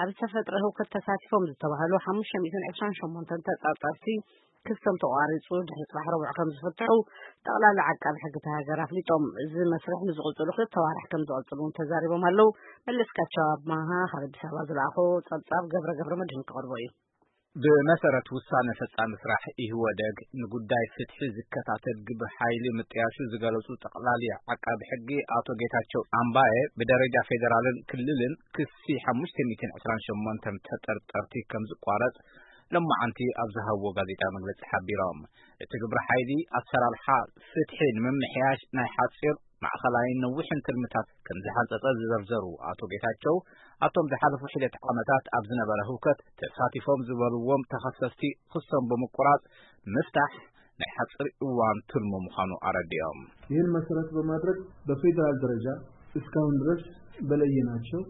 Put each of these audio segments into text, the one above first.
ኣብ ዝተፈጥረ ህውከት ተሳቲፎም ዝተባህሉ ሓሙሽተ ሚእትን ዕስራን ሸሞንተን ተጠርጠርቲ ክሶም ተቋሪጹ ድሕሪ ጽባሕ ረቡዕ ከም ዝፍትሑ ጠቕላላ ዓቃቢ ሕጊ እታ ሃገር ኣፍሊጦም። እዚ መስርሕ ንዝቕጽሉ ክልተ ዋርሕ ከም ዝቐጽሉ እውን ተዛሪቦም ኣለዉ። መለስካቸው ኣማሃ ካብ ኣዲስ ኣበባ ዝለኣኾ ጸብጻብ ገብረ ገብረ መድህን ክቐርቦ እዩ። ብመሰረት ውሳነ ፈጻሚ ስራሕ ኢህወደግ ንጉዳይ ፍትሒ ዝከታተል ግብረ ሓይሊ ምጥያሹ ዝገለጹ ጠቕላሊ ዓቃቢ ሕጊ ኣቶ ጌታቸው ኣምባየ ብደረጃ ፌደራልን ክልልን ክሲ ሓሙሽተ ሚእትን ዕስራን ሸሞንተን ተጠርጠርቲ ከም ዝቋረጽ ሎማዓንቲ ኣብ ዝሃብዎ ጋዜጣ መግለጺ ሓቢሮም። እቲ ግብረ ሓይሊ ኣሰራርሓ ፍትሒ ንምምሕያሽ ናይ ሓጺር ማእኸላይን ነዊሕን ትልምታት ከም ዝሓንጸጸ ዝዘርዘሩ ኣቶ ጌታቸው፣ ኣብቶም ዝሓለፉ ሒደት ዓመታት ኣብ ዝነበረ ህውከት ተሳቲፎም ዝበልዎም ተኸሰስቲ ክሶም ብምቁራጽ ምፍታሕ ናይ ሓጺር እዋን ትልሙ ምዃኑ ኣረዲኦም። ይህን መሰረት በማድረግ በፌዴራል ደረጃ እስካሁን ድረስ በለየናቸው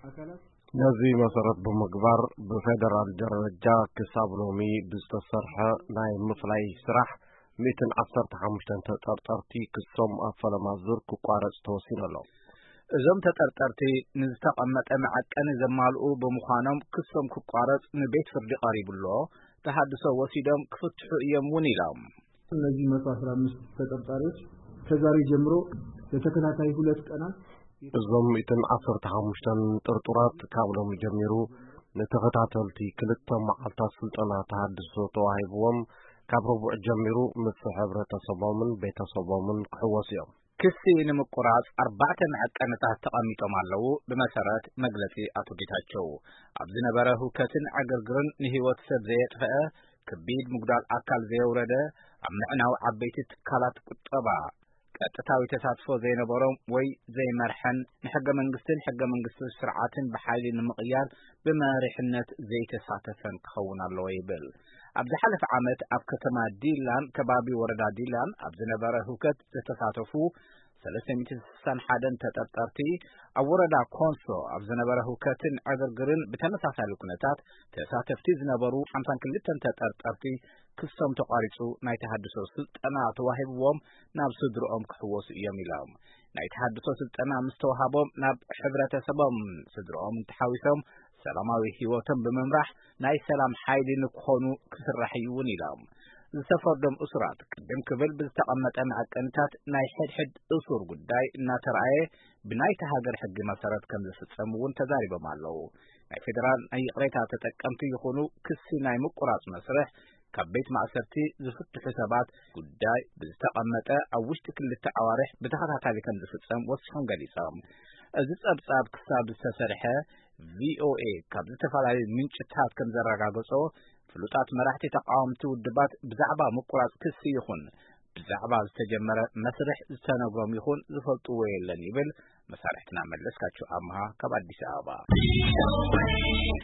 አካላት ነዚ መሰረት ብምግባር ብፌደራል ደረጃ ክሳብ ሎሚ ብዝተሰርሐ ናይ ምፍላይ ስራሕ ሚእትን ዓሰርተ ሓሙሽተን ተጠርጠርቲ ክሶም ኣብ ፈለማ ዙር ክቋረጽ ተወሲኑ ኣሎ። እዞም ተጠርጠርቲ ንዝተቐመጠ መዐቀኒ ዘማልኡ ብምዃኖም ክሶም ክቋረጽ ንቤት ፍርዲ ቀሪቡ ኣሎ። ተሃድሶ ወሲዶም ክፍትሑ እዮም እውን ኢሎም። እነዚህ መቶ አስራ አምስት ተጠርጣሪዎች ከዛሬ ጀምሮ ለተከታታይ ሁለት ቀናት እዞም ሚእትን ዓሰርተ ሓሙሽተን ጥርጡራት ካብ ሎሚ ጀሚሩ ንተኸታተልቲ ክልተ መዓልታት ስልጠና ተሃድሶ ተዋሂብዎም ካብ ረቡዕ ጀሚሩ ምስ ሕብረተሰቦምን ቤተሰቦምን ክሕወሱ እዮም። ክሲ ንምቁራጽ ኣርባዕተ መዐቀንታት ተቐሚጦም ኣለዉ። ብመሰረት መግለጺ ኣቶ ጌታቸው፣ ኣብ ዝነበረ ህውከትን ዕግርግርን ንህይወት ሰብ ዘየጥፈአ፣ ከቢድ ምጉዳል ኣካል ዘየውረደ፣ ኣብ ምዕናው ዓበይቲ ትካላት ቁጠባ ቀጥታዊ ተሳትፎ ዘይነበሮም ወይ ዘይመርሐን፣ ንሕገ መንግስትን ሕገ መንግስታዊ ስርዓትን ብሓይሊ ንምቕያር ብመሪሕነት ዘይተሳተፈን ክኸውን ኣለዎ ይብል። ኣብ ዝሓለፈ ዓመት ኣብ ከተማ ዲላን ከባቢ ወረዳ ዲላን ኣብ ዝነበረ ህውከት ዝተሳተፉ ሰለስተ ሚእትን ስሳን ሓደን ተጠርጠርቲ፣ ኣብ ወረዳ ኮንሶ ኣብ ዝነበረ ህውከትን ዕግርግርን ብተመሳሳሊ ኩነታት ተሳተፍቲ ዝነበሩ ሓምሳን ክልተን ተጠርጠርቲ ክሶም ተቋሪጹ ናይ ተሃድሶ ስልጠና ተዋሂብዎም ናብ ስድርኦም ክሕወሱ እዮም ኢሎም። ናይ ተሃድሶ ስልጠና ምስ ተዋሃቦም ናብ ሕብረተሰቦም ስድርኦም ተሓዊሶም ሰላማዊ ህይወቶም ብምምራሕ ናይ ሰላም ሓይሊ ንክኾኑ ክስራሕ እዩ እውን ኢሎም። ዝተፈርዶም እሱራት ቅድም ክብል ብዝተቐመጠ መዐቀንታት ናይ ሕድሕድ እሱር ጉዳይ እናተረኣየ ብናይቲ ሃገር ሕጊ መሰረት ከም ዝፍጸም እውን ተዛሪቦም ኣለዉ። ናይ ፌደራል ናይ ይቕሬታ ተጠቀምቲ ይኹኑ ክሲ ናይ ምቁራጽ መስርሕ ካብ ቤት ማእሰርቲ ዝፍትሑ ሰባት ጉዳይ ብዝተቐመጠ ኣብ ውሽጢ ክልተ ኣዋርሕ ብተኸታታሊ ከም ዝፍጸም ወሲኾም ገሊጾም። እዚ ጸብጻብ ክሳብ ዝተሰርሐ ቪኦኤ ካብ ዝተፈላለዩ ምንጭታት ከም ዘረጋገጾ ፍሉጣት መራሕቲ ተቃወምቲ ውድባት ብዛዕባ ምቁራጽ ክሲ ይኹን ብዛዕባ ዝተጀመረ መስርሕ ዝተነግሮም ይኹን ዝፈልጥዎ የለን ይብል መሳርሕትና መለስካቸው ኣምሃ ካብ ኣዲስ ኣበባ።